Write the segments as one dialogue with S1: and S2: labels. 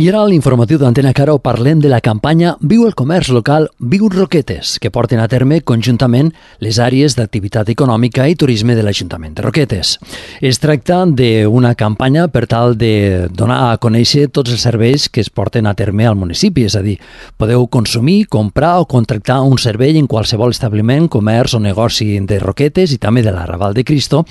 S1: I ara a l'informatiu d'Antena Caro parlem de la campanya Viu el comerç local, Viu Roquetes, que porten a terme conjuntament les àrees d'activitat econòmica i turisme de l'Ajuntament de Roquetes. Es tracta d'una campanya per tal de donar a conèixer tots els serveis que es porten a terme al municipi, és a dir, podeu consumir, comprar o contractar un servei en qualsevol establiment, comerç o negoci de Roquetes i també de la Raval de Cristo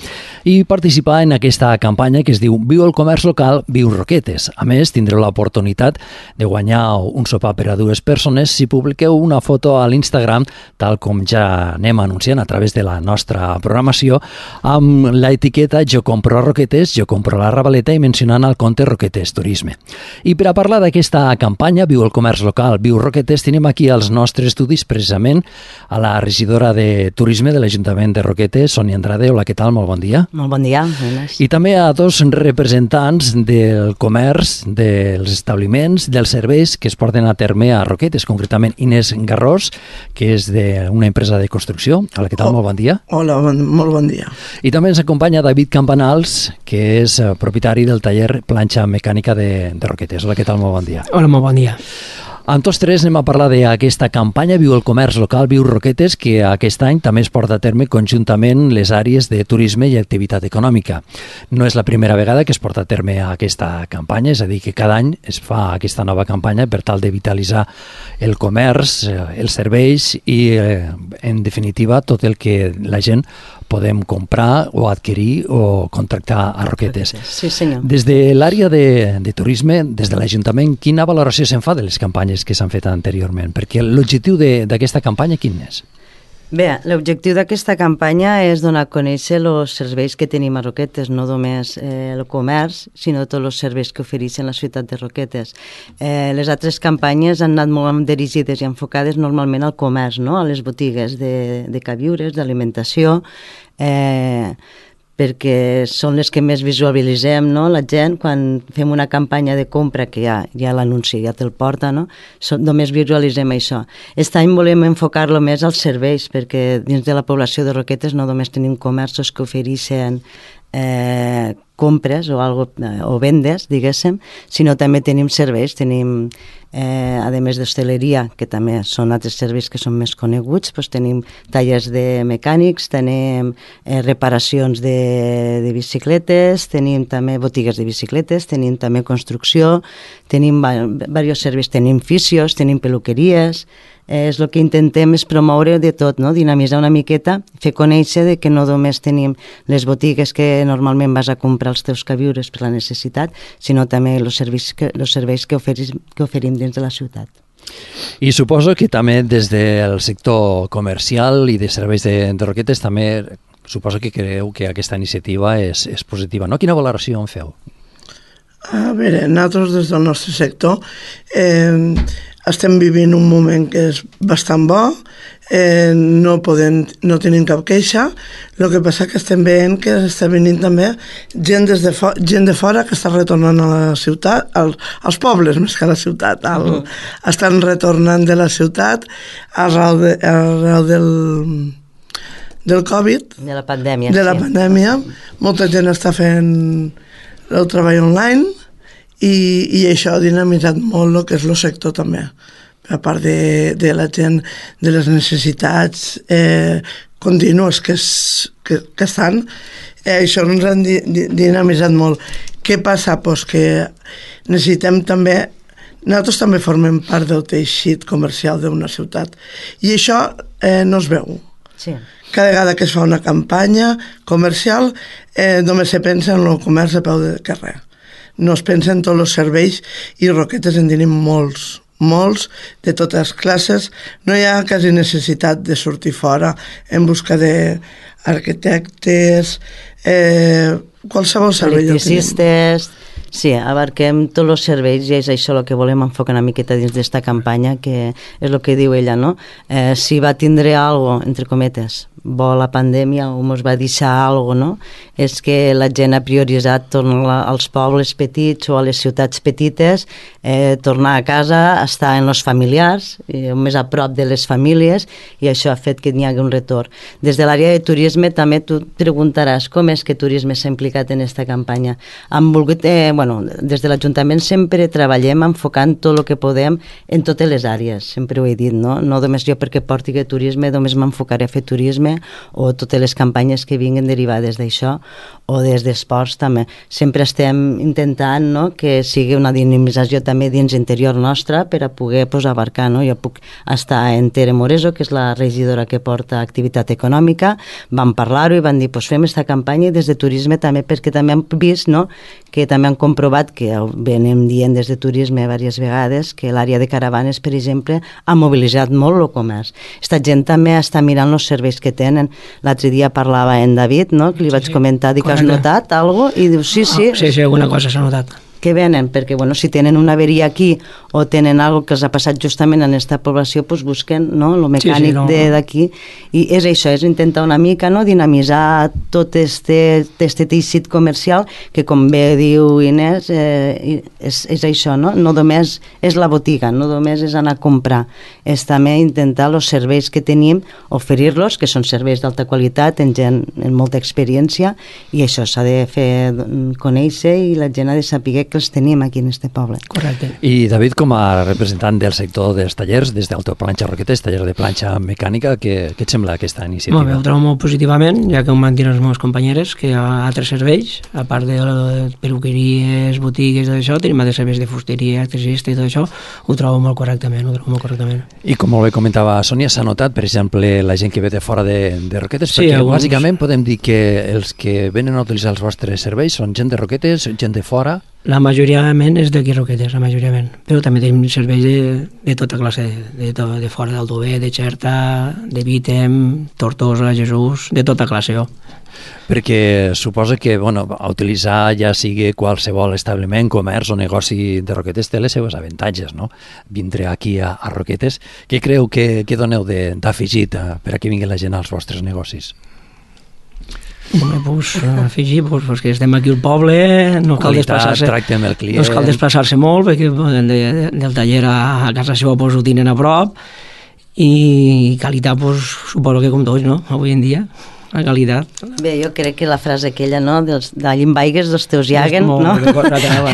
S1: i participar en aquesta campanya que es diu Viu el comerç local, Viu Roquetes. A més, tindreu l'oportunitat de guanyar un sopar per a dues persones si publiqueu una foto a l'Instagram, tal com ja anem anunciant a través de la nostra programació, amb l'etiqueta Jo compro a Roquetes, Jo compro a la Ravaleta i mencionant el compte Roquetes Turisme. I per a parlar d'aquesta campanya Viu el comerç local, Viu Roquetes, tenim aquí als nostres estudis precisament a la regidora de Turisme de l'Ajuntament de Roquetes, Sònia Andrade. Hola, què tal? Molt bon dia.
S2: Molt bon dia.
S1: I també a dos representants del comerç, dels establiments, dels serveis que es porten a terme a Roquetes, concretament Inés Garrós, que és d'una empresa de construcció. Hola, què tal? Molt bon dia.
S3: Hola, molt bon dia.
S1: I també ens acompanya David Campanals, que és propietari del taller Planxa Mecànica de Roquetes. Hola, què tal? Molt bon dia.
S4: Hola, molt bon dia.
S1: Amb tots tres anem a parlar d'aquesta campanya Viu el comerç local, Viu Roquetes, que aquest any també es porta a terme conjuntament les àrees de turisme i activitat econòmica. No és la primera vegada que es porta a terme aquesta campanya, és a dir, que cada any es fa aquesta nova campanya per tal de vitalitzar el comerç, els serveis i, en definitiva, tot el que la gent podem comprar o adquirir o contractar a Roquetes.
S2: Sí, senyor.
S1: Des de l'àrea de turisme, des de l'Ajuntament, quina valoració se'n fa de les campanyes que s'han fet anteriorment? Perquè l'objectiu d'aquesta campanya quin és?
S2: Bé, l'objectiu d'aquesta campanya és donar a conèixer els serveis que tenim a Roquetes, no només el comerç, sinó tots els serveis que ofereixen la ciutat de Roquetes. Les altres campanyes han anat molt dirigides i enfocades normalment al comerç, no? A les botigues de queviures, d'alimentació, perquè són les que més visualitzem, no? La gent, quan fem una campanya de compra, que ja l'anunci, ja te'l porta, no? Només visualitzem això. Aquest any volem enfocar-lo més als serveis, perquè dins de la població de Roquetes no només tenim comerços que ofereixen compres o vendes, diguéssim, sinó també tenim serveis, tenim, a més d'hostaleria, que també són altres serveis que són més coneguts, doncs tenim tallers de mecànics, tenim reparacions de bicicletes, tenim també botigues de bicicletes, tenim també construcció, tenim diversos serveis, tenim fisios, tenim peluqueries. El que intentem és promoure de tot, no? Dinamitzar una miqueta, fer conèixer que no només tenim les botigues que normalment vas a comprar els teus queviures per la necessitat, sinó també els serveis que oferim dins de la ciutat.
S1: I suposo que també des del sector comercial i de serveis de Roquetes també suposo que creu que aquesta iniciativa és positiva, no? Quina valoració en feu?
S3: A veure, nosaltres des del nostre sector estem vivint un moment que és bastant bo, no tenim cap queixa. El que passa que estem veient que està venint també gent de fora que està retornant a la ciutat, als pobles més que a la ciutat. Estan retornant de la ciutat arreu del Covid,
S2: de la pandèmia.
S3: De la pandèmia. Molta gent està fent el treball online i això ha dinamitzat molt el que és el sector també, a part de la gent, de les necessitats contínues que estan, això ens ha dinamitzat molt. Què passa? Pues que necessitem també, nosaltres també formem part del teixit comercial d'una ciutat i això no es veu.
S2: Sí.
S3: Cada vegada que es fa una campanya comercial només se pensa en el comerç a peu de carrer. No es pensa en tots els serveis i Roquetes en tenim molts de totes les classes. No hi ha quasi necessitat de sortir fora en busca d'arquitectes, qualsevol servei.
S2: Electricistes. Sí, abarquem tots els serveis i és això el que volem enfocar una miqueta dins d'esta campanya, que és el que diu ella, no? Si va tindre algo, entre cometes, bo la pandèmia o ens va deixar alguna cosa, no? És que la gent ha prioritzat tornar als pobles petits o a les ciutats petites, tornar a casa, estar en els familiars, més a prop de les famílies, i això ha fet que n'hi hagi un retorn. Des de l'àrea de turisme també tu preguntaràs com és que turisme s'ha implicat en aquesta campanya. Hem volgut des de l'Ajuntament sempre treballem enfocant tot el que podem en totes les àrees, sempre ho he dit, no només jo perquè porti turisme, només m'enfocaré a fer turisme, o totes les campanyes que vinguin derivades d'això, o des d'esports també. Sempre estem intentant, no?, que sigui una dinamització també dins interior nostra per a poder abarcar, no? Jo puc estar en Tere Moreso, que és la regidora que porta activitat econòmica, vam parlar-ho i van dir, fem aquesta campanya des de turisme també, perquè també han vist, no?, que també han comprovat, que venim dient des de turisme diverses vegades, que l'àrea de caravanes, per exemple, ha mobilitzat molt el comerç. Esta gent també està mirant els serveis que tenen. L'altre dia parlava en David, no?, que li vaig comentar, dic, has notat alguna cosa? I diu, sí.
S4: Sí, alguna cosa s'ha notat.
S2: Que venen, perquè si tenen una averia aquí o tenen alguna que els ha passat justament en aquesta població, busquen, no?, el mecànic d'aquí, i és això, és intentar una mica, no?, dinamitzar tot este teixit comercial, que com bé diu Inés, és això, no només és la botiga, no només és anar a comprar, és també intentar els serveis que tenim, oferir-los, que són serveis d'alta qualitat, en gent amb molta experiència, i això s'ha de fer conèixer, i la gent ha de saber que els tenim aquí en este poble.
S4: Correcte.
S1: I David, com a representant del sector dels tallers, des d'Autoplanxa Roquetes, taller de planxa mecànica, què et sembla aquesta iniciativa?
S4: Molt bé, ho trobo molt positivament, ja que ho van dir les meves companyeres, que hi ha altres serveis, a part de peluqueries, botigues, tot això, tenim altres serveis de fusteria, electricista i tot això, ho trobo molt correctament,
S1: I com molt bé comentava Sònia, s'ha notat, per exemple, la gent que ve de fora de Roquetes, sí, perquè bàsicament podem dir que els que venen a utilitzar els vostres serveis són gent de Roquetes, gent de fora.
S4: La majoria és d'aquí Roquetes, però també tenim serveis de tota classe, de fora d'Aldover, de Xerta, de Vítem, Tortosa, Jesús, de tota classe.
S1: Perquè suposa que a utilitzar ja sigui qualsevol establiment, comerç o negoci de Roquetes té les seves avantatges, no? Vindre aquí a Roquetes, què creu que doneu d'afegit per a que vingui la gent als vostres negocis?
S4: Afegir, que estem aquí al poble, no cal desplaçar-se molt, perquè del taller a casa seva ho tenen a prop, i qualitat suposo que com tots, no?, avui en dia, la qualitat.
S2: Bé, jo crec que la frase aquella, no?, d'allí en vaigues, dos teus llaguen, no?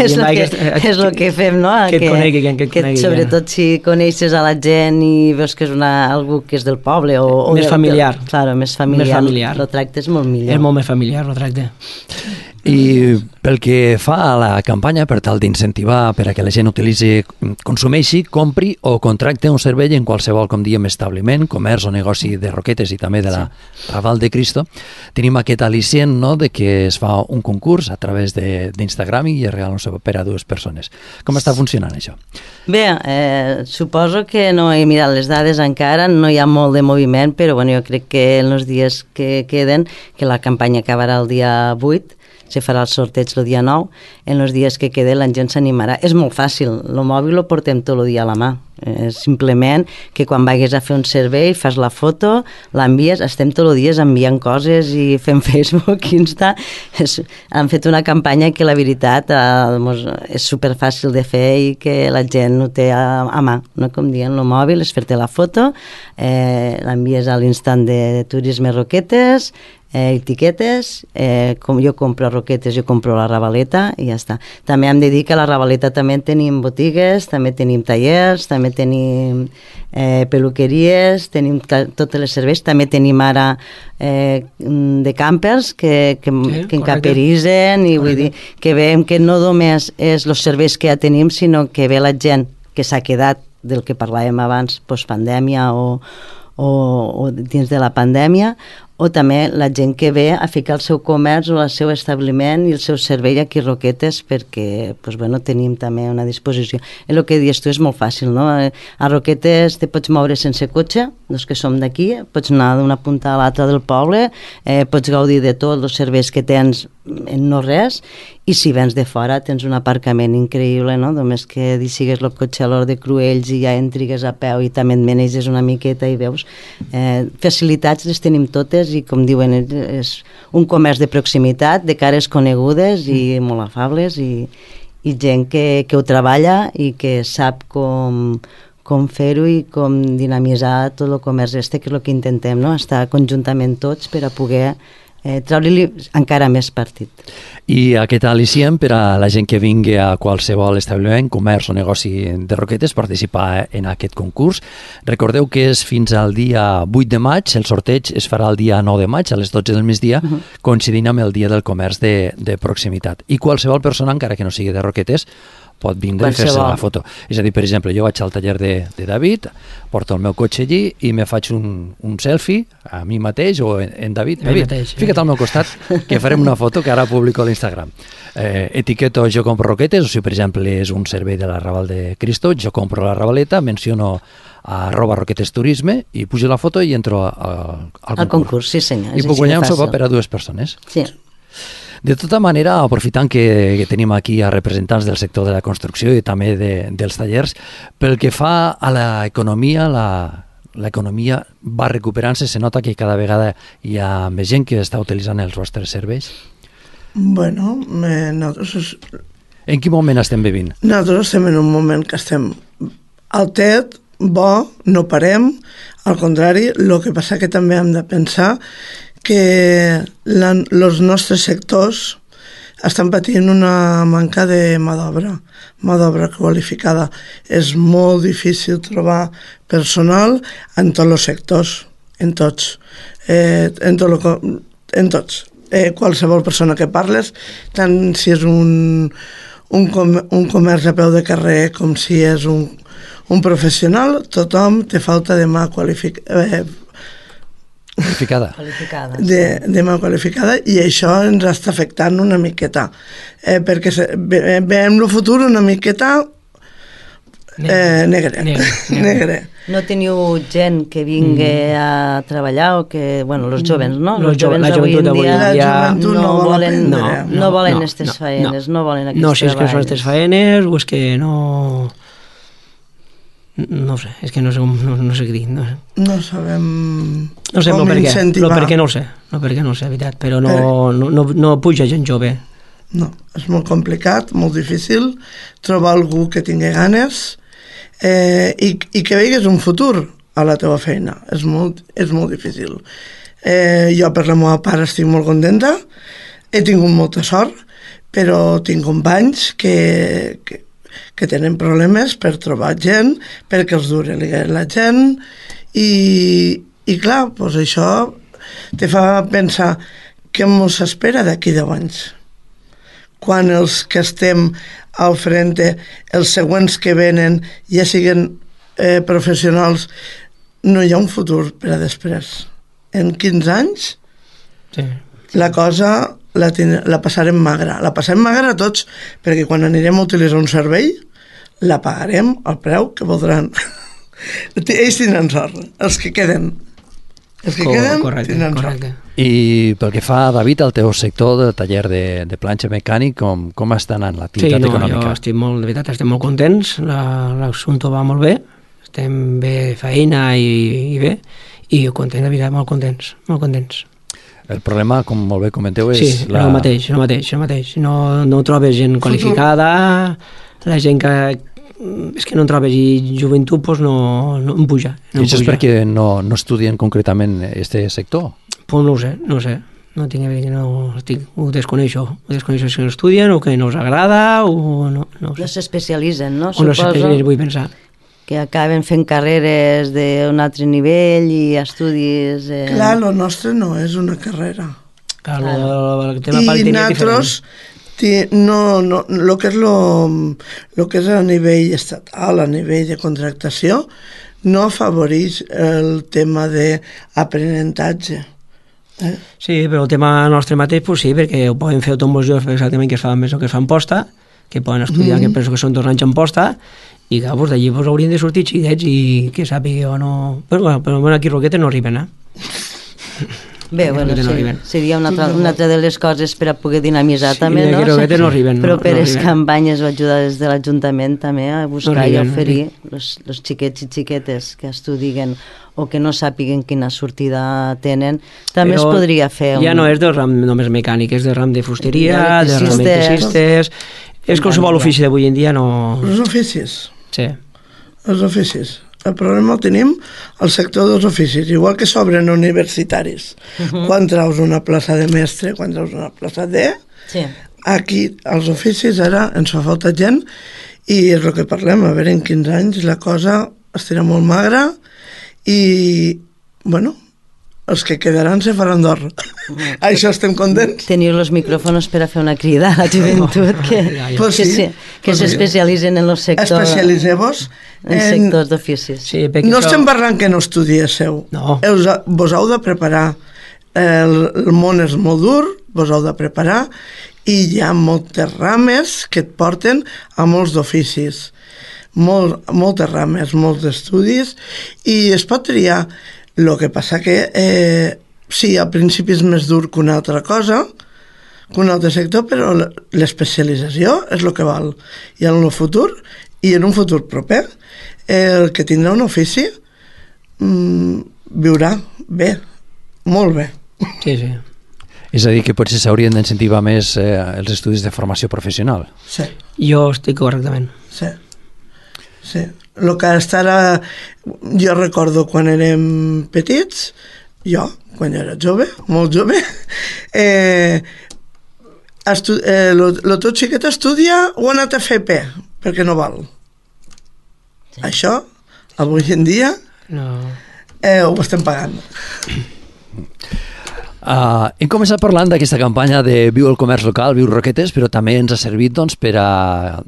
S2: És el que fem, no?
S4: Que et conegui.
S2: Sobretot si coneixes a la gent i veus que és algú que és del poble.
S4: Més familiar.
S2: Claro, més familiar. El tracte és molt millor.
S4: És molt més familiar, el tracte.
S1: I pel que fa a la campanya, per tal d'incentivar per a que la gent utilitzi, consumeixi, compri o contracte un servei en qualsevol, com diem, establiment, comerç o negoci de Roquetes i també de la Raval de Cristo, tenim aquest al·licient, no?, de que es fa un concurs a través d'Instagram i es regala un servei per a dues persones. Com està funcionant això?
S2: Bé, suposo que no he mirat les dades encara, no hi ha molt de moviment, però jo crec que en els dies que queden, que la campanya acabarà el dia 8, se farà el sorteig el dia 9, en els dies que quede la gent s'animarà. És molt fàcil, el mòbil lo portem tot el dia a la mà. Simplement que quan vagis a fer un servei fas la foto, l'envies, estem tot el dia enviant coses i fent Facebook, Insta. Han fet una campanya que la veritat és superfàcil de fer i que la gent ho té a mà, no? Com dient, el mòbil és fer-te la foto, l'envies a l'instant de Turisme Roquetes, etiquetes, com jo compro Roquetes, jo compro la Ravaleta i ja està. També hem de dir que a la Ravaleta també tenim botigues, també tenim tallers, també tenim peluqueries, tenim tots els serveis, també tenim ara de campers que encaperitzen, i vull dir que veiem que no només és els serveis que ja tenim, sinó que ve la gent que s'ha quedat del que parlàvem abans, postpandèmia o dins de la pandèmia, o també la gent que ve a ficar el seu comerç o el seu establiment i el seu servei aquí a Roquetes, perquè tenim també una disposició. El que dius tu és molt fàcil, no? A Roquetes te pots moure sense cotxe, els que som d'aquí, pots anar d'una punta a l'altra del poble, pots gaudir de tots els serveis que tens en no res, i si vens de fora tens un aparcament increïble, no? Només que deixigues el cotxe a l'hora de Cruells i ja entrigues a peu i també et maneges una miqueta i veus. Facilitats les tenim totes i, com diuen, és un comerç de proximitat, de cares conegudes i molt afables, i gent que ho treballa i que sap com fer-ho i com dinamitzar tot el comerç que és el que intentem, no? Estar conjuntament tots per a poder treure-li encara més partit.
S1: I aquest al·licient per a la gent que vingui a qualsevol establiment, comerç o negoci de Roquetes, participar en aquest concurs. Recordeu que és fins al dia 8 de maig, el sorteig es farà el dia 9 de maig a les 12 del migdia, coincidint amb el dia del comerç de proximitat. I qualsevol persona, encara que no sigui de Roquetes, pot vindre i fer-se la foto. És a dir, per exemple, jo vaig al taller de David, porto el meu cotxe allí i me faig un selfie a mi mateix o en David. David, fica't al meu costat que farem una foto que ara publico a l'Instagram. Etiqueto jo compro Roquetes, o si per exemple és un servei de la Raval de Cristo, jo compro la Ravaleta, menciono @roquetesturisme i pujo la foto i entro al
S2: concurs. Sí senyor.
S1: I puc guanyar un sopar per a 2 persones.
S2: Sí.
S1: De tota manera, aprofitant que tenim aquí a representants del sector de la construcció i també dels tallers, pel que fa a l'economia, l'economia va recuperant-se, se nota que cada vegada hi ha més gent que està utilitzant els vostres serveis?
S3: Bueno, nosaltres...
S1: En quin moment estem vivint?
S3: Nosaltres estem en un moment que estem al tet, bo, no parem, al contrari, el que passa que també hem de pensar que els nostres sectors estan patint una manca de mà d'obra qualificada. És molt difícil trobar personal en tots els sectors, en tots. Qualsevol persona que parles, tant si és un comerç a peu de carrer com si és un professional, tothom té falta de mà qualificada. De mà qualificada, i això ens està afectant una miqueta, perquè veiem el futur una miqueta negre.
S2: No teniu gent que vingui a treballar o que, bueno, els joves, no?
S4: La joventut d'avui en dia
S2: no volen aquestes faenes, no volen aquests treballs.
S4: No sé, és que són aquestes faenes o és que no... No sé, és que no sé què dir.
S3: No sabem
S4: com incentivar. No, perquè no ho sé, veritat, però no puja gent jove.
S3: No, és molt complicat, molt difícil trobar algú que tingui ganes i que veigues un futur a la teva feina. És molt difícil. Jo per la meva part estic molt contenta, he tingut molta sort, però tinc companys que tenen problemes per trobar gent, perquè els dure la gent, i clar, doncs això te fa pensar què ens espera d'aquí 10 anys. Quan els que estem al frente, els següents que venen, ja siguin professionals, no hi ha un futur per a després. En 15 anys, la cosa la passarem magra. La passarem magra tots, perquè quan anirem a utilitzar un servei, la pagarem al preu que voldran. Ells tindran sort, els que queden. Tindran sort.
S1: I pel que fa, David, al teu sector del taller de planxa mecànic, com està anant l'activitat econòmica?
S4: Jo de veritat estem molt contents, l'assumpte va molt bé, estem bé feina i bé, i contents, de veritat, molt contents.
S1: El problema, com molt bé comenteu, és...
S4: Sí, el mateix. No trobes gent qualificada, la gent que... És que no en trobes, i joventut pues, no en puja.
S1: I això és perquè no estudien concretament aquest sector?
S4: Pues no ho sé. No tinc a veure, ho desconeixo. Si no estudien o que no els agrada o no sé.
S2: No s'especialitzen, no?
S4: O no s'especialitzen, vull pensar.
S2: Que acaben fent carreres d'un altre nivell i estudis...
S3: Clar, el nostre no és una carrera.
S4: Clar, el tema pal tenia
S3: nosaltres, el que és a nivell estatal, a nivell de contractació, no afavoreix el tema d'aprenentatge.
S4: Sí, però el tema nostre mateix, pues sí, perquè ho poden fer tots els joves exactament que es fan més o que es fan posta, que poden estudiar, que penso que són 2 anys en posta, i clar, pues, d'allí pues, haurien de sortir xidets i que sàpiga o no... Però aquí Roquetes no arriben,
S2: Bé, bueno, seria una altra de les coses per a poder dinamitzar també, no?
S4: No arriben,
S2: però per les campanyes o ajuda des de l'Ajuntament també a buscar i oferir els xiquets i xiquetes que estudien o que no sàpiguen quina sortida tenen, també es podria fer...
S4: Ja no és del ram només mecànic, és del ram de fusteria, de ram d'electricistes... És qualsevol ofici d'avui en dia no...
S3: Els oficis.
S4: Sí.
S3: Els oficis. El problema el tenim al sector dels oficis, igual que s'obren universitaris. Quan traus una plaça de mestre, quan traus una plaça de...
S2: Sí.
S3: Aquí, als oficis, ara ens fa falta gent i és el que parlem, a veure, en 15 anys la cosa estarà molt magra i, bueno, els que quedaran se faran d'or. Això estem contents.
S2: Teniu els micròfons per a fer una crida a la joventut que s'especialitzen en el sector...
S3: Especialiseu-vos
S2: en sectors d'oficis.
S4: Sí,
S3: no estem parlant que no estudiéssiu.
S4: No.
S3: Vos heu de preparar. El món és molt dur, vos heu de preparar i hi ha moltes rames que et porten a molts d'oficis. Moltes rames, molts estudis i es pot triar. El que passa que sí, al principi és més dur que una altra cosa, que un altre sector, però l'especialització és el que val. I en el futur, i en un futur proper, el que tindrà un ofici viurà bé, molt bé.
S4: Sí, sí.
S1: És a dir, que potser s'haurien d'incentivar més els estudis de formació professional.
S3: Sí.
S4: Jo estic correctament.
S3: Sí. Sí. El que ara... Jo recordo quan érem petits, quan jo era jove, molt jove, el teu xiquet estudia o ha anat a FP, perquè no val. Sí. Això, avui en dia, ho estem pagant.
S1: Hem començat parlant d'aquesta campanya de Viu el comerç local, Viu Roquetes, però també ens ha servit per a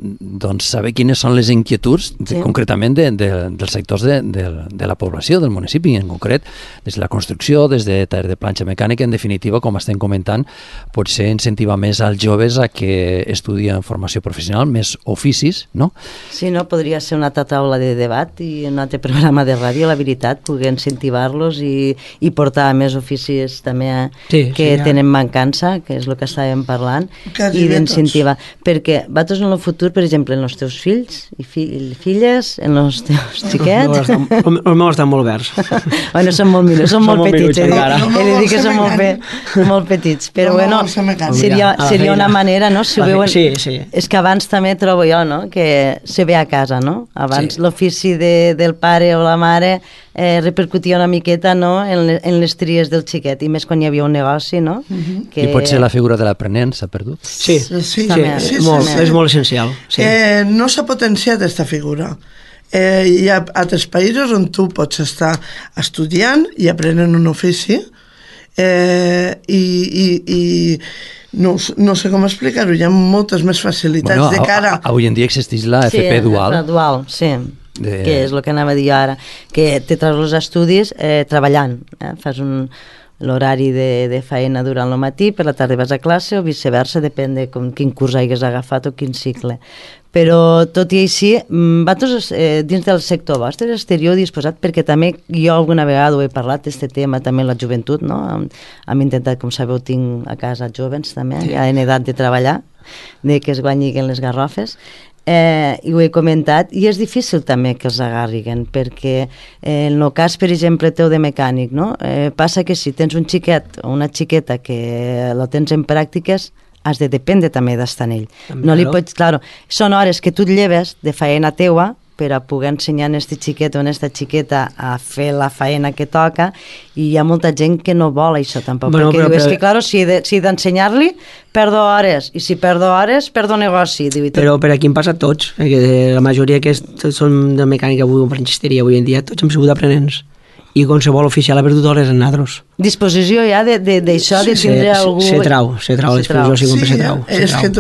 S1: saber quines són les inquietuds concretament dels sectors de la població, del municipi en concret, des de la construcció, des de taller de planxa mecànica, en definitiva, com estem comentant, potser incentivar més als joves a que estudien formació professional, més oficis, no?
S2: Sí, no? Podria ser una altra taula de debat i un altre programa de ràdio, la veritat, poder incentivar-los i portar més oficis també tenen mancança, que és el que estàvem parlant, i d'incentivar. Perquè vosaltres en el futur, per exemple, en els teus fills i filles, en els teus xiquets...
S4: Els meus estan molt verds.
S2: Bueno, són molt millors, són molt petits. He de dir que són molt petits. Però bueno, seria una manera, no? Si ho veuen... És que abans també trobo jo, no? Que se ve a casa, no? Abans l'ofici del pare o la mare repercutia una miqueta, no?, en les tries del xiquet, i més quan hi havia un negoci, no?
S1: I potser la figura de l'aprenent s'ha perdut.
S4: Sí, és molt essencial.
S3: No s'ha potenciat aquesta figura. Hi ha altres països on tu pots estar estudiant i aprenent un ofici i no sé com explicar-ho, hi ha moltes més facilitats de cara...
S1: Avui en dia existeix la FP dual.
S2: Sí, la dual, sí. Que és el que anava a dir ara, que te treus els estudis treballant, fas l'horari de feina durant el matí, per la tarda vas a classe o viceversa, depèn de quin curs hagués agafat o quin cicle. Però tot i així, vosaltres dins del sector vostre esteu disposat, perquè també jo alguna vegada ho he parlat, aquest tema també en la joventut, no? Hem intentat, com sabeu, tinc a casa joves també, ja en edat de treballar, de que es guanyiguen les garrofes, i ho he comentat, i és difícil també que els agarriguen, perquè en el cas, per exemple, teu de mecànic, no? Passa que si tens un xiquet o una xiqueta que la tens en pràctiques, has de dependre també d'estar en ell. No li pots, claro, són hores que tu et lleves de feina teua per a poder ensenyar a aquest xiquet o a aquesta xiqueta a fer la feina que toca, i hi ha molta gent que no vol això tampoc, perquè diu, és que claro, si he d'ensenyar-li perdo hores, i si perdo hores perdo negoci.
S4: Però per aquí em passa a tots, perquè la majoria que són de mecànica o franxisteria avui en dia, tots hem sigut aprenents, i qualsevol oficial ha perdut hores en nosaltres.
S2: Disposició ja d'això, de tindre algú...
S4: Se trau, la disposició sempre se trau.
S3: És que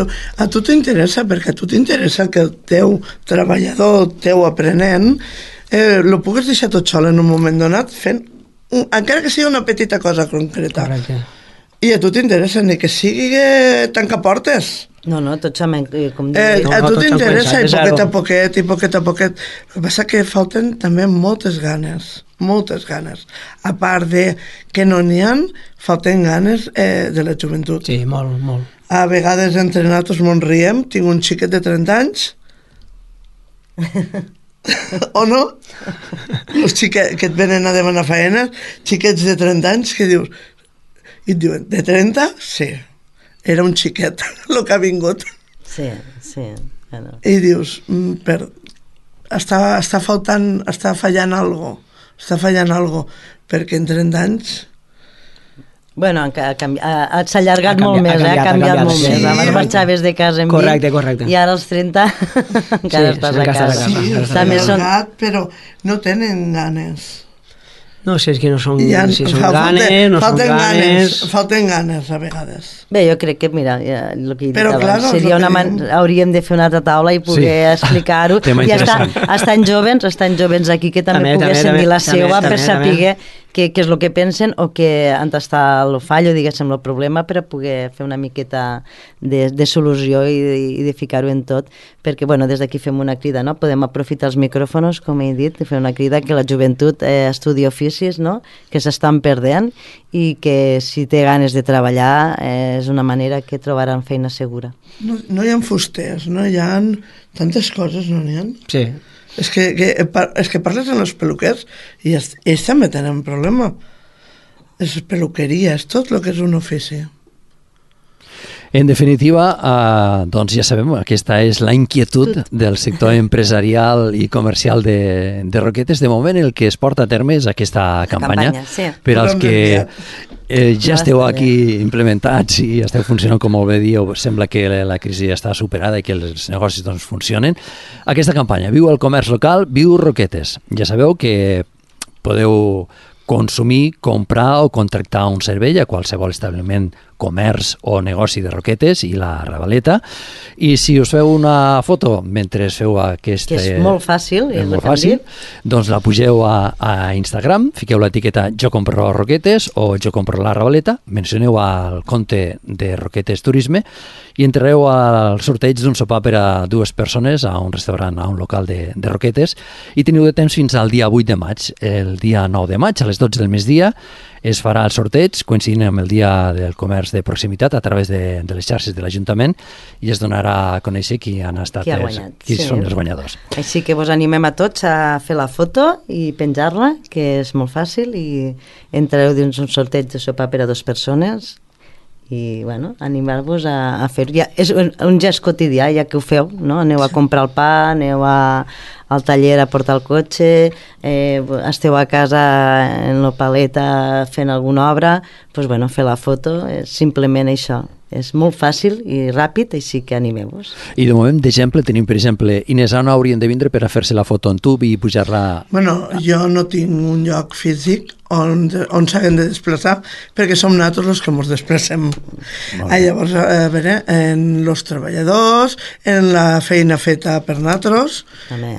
S3: a tu t'interessa, perquè a tu t'interessa que el teu treballador, el teu aprenent, lo pugues deixar tot sol en un moment donat fent, encara que sigui una petita cosa concreta.
S4: Correcte.
S3: I a tu t'interessa ni que sigui tancar portes.
S2: No, tots som...
S3: a tu t'interessa i poquet a poquet. El que passa que falten també moltes ganes. A part de que no n'hi ha, falten ganes de la joventut.
S4: Sí, molt.
S3: A vegades entre nosaltres mos riem, tinc un xiquet de 30 anys, o no? Els xiquets que et venen a demanar feina, xiquets de 30 anys que dius... I et diuen, de 30? Sí. Era un xiquet el que ha vingut.
S2: Sí. Bueno.
S3: I dius, està fallant algo, perquè en 30 anys...
S2: Bueno, s'ha allargat molt més, ha canviat molt més. Abans marxaves de casa amb mi, i ara als 30 encara estàs a casa.
S3: Sí, s'ha allargat, però no tenen ganes.
S4: No sé, és que no són ganes, no són ganes...
S3: Falten ganes, a vegades.
S2: Bé, jo crec que, mira, el que he dit abans, hauríem de fer una altra taula i poder explicar-ho. I estan jovens aquí que també poguessin dir la seva per saber què és el que pensen o on està el fallo, diguéssim, el problema, per a poder fer una miqueta de solució i de ficar-ho en tot, perquè, bueno, des d'aquí fem una crida, no? Podem aprofitar els micròfons, com he dit, i fer una crida que la joventut estudi oficis, no? Que s'estan perdent i que si té ganes de treballar és una manera que trobaran feina segura.
S3: No hi ha fusters, no hi ha tantes coses, no n'hi ha?
S4: Sí.
S3: És que parles amb els peluquers i ells també tenen problema. És peluqueria, és tot el que és un ofici.
S1: En definitiva, doncs ja sabem, aquesta és la inquietud del sector empresarial i comercial de Roquetes. De moment el que es porta a terme és aquesta campanya.
S2: Sí.
S1: Per als que ja esteu aquí implementats i esteu funcionant com molt bé dieu, sembla que la crisi ja està superada i que els negocis doncs funcionen. Aquesta campanya, Viu el comerç local, Viu Roquetes. Ja sabeu que podeu consumir, comprar o contractar un servei a qualsevol establiment, comerç o negoci de Roquetes i la Ravaleta, i si us feu una foto mentre feu aquest...
S2: Que és molt fàcil,
S1: doncs la pugeu a Instagram, fiqueu l'etiqueta Jo compro Roquetes o Jo compro la Ravaleta, mencioneu al compte de Roquetes Turisme i entrareu al sorteig d'un sopar per a 2 persones a un restaurant, a un local de Roquetes, i teniu de temps fins al dia 8 de maig. El dia 9 de maig, a les 12 del migdia, es farà el sorteig, coincidint amb el dia del comerç de proximitat a través de les xarxes de l'Ajuntament, i es donarà a conèixer qui són els guanyadors.
S2: Així que vos animem a tots a fer la foto i penjar-la, que és molt fàcil, i entrareu dins un sorteig de sopar per a 2 persones i, bueno, animar-vos a fer-ho. Ja, és un gest quotidià, ja que ho feu, no? Aneu a comprar el pa, aneu al taller a portar el cotxe, esteu a casa en la paleta fent alguna obra, doncs, bueno, fer la foto, és simplement això. És molt fàcil i ràpid, així que animeu-vos.
S1: I de moment, d'exemple, tenim, per exemple, Inés, on haurien de vindre per a fer-se la foto en tub i pujar-la...
S3: Bueno, jo no tinc un lloc físic on s'haguem de desplaçar, perquè som nosaltres els que ens desplacem. Llavors, a veure, en els treballadors, en la feina feta per nosaltres,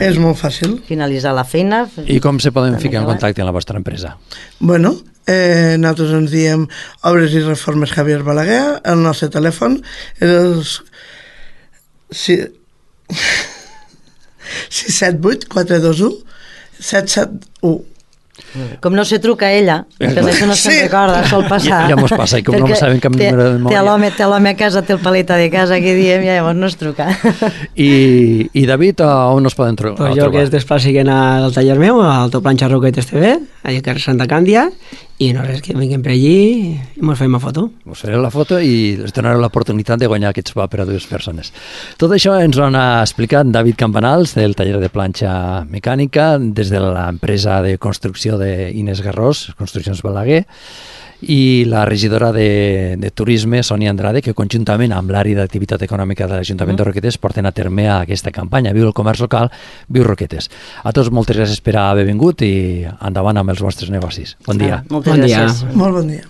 S3: és molt fàcil.
S2: Finalitzar la feina...
S1: I com se poden ficar en contacte amb la vostra empresa?
S3: Bueno, nosaltres ens diem Obres i Reformes Javier Balaguer, el nostre telèfon és 678 421 771.
S2: Com no se truca a ella, per això no se'n recorda, sol passar.
S1: Ja mos passa, i com no sabem cap número de mòbil.
S2: Té l'home a casa, té el paleta de casa, que diem, ja llavors no es truca.
S1: I David, on es poden trobar?
S4: Pues jo que es desplaciguen al taller meu, al Autoplanxa Roquetes TV, allà a carrer Santa Càndia, i no res, que vinguem per allí i mos fem la foto.
S1: Us fareu la foto i us donareu l'oportunitat de guanyar aquest sopar per a 2 persones. Tot això ens ho ha explicat David Campanals, del taller de planxa mecànica, des de l'empresa de construcció d'Inés Garrós, Construccions Balaguer, i la regidora de Turisme, Sònia Andrade, que conjuntament amb l'àrea d'activitat econòmica de l'Ajuntament de Roquetes porten a terme aquesta campanya Viu el comerç local, Viu Roquetes. A tots moltes gràcies per haver vingut i endavant amb els vostres negocis. Bon dia.
S2: Moltes gràcies.
S3: Molt bon dia.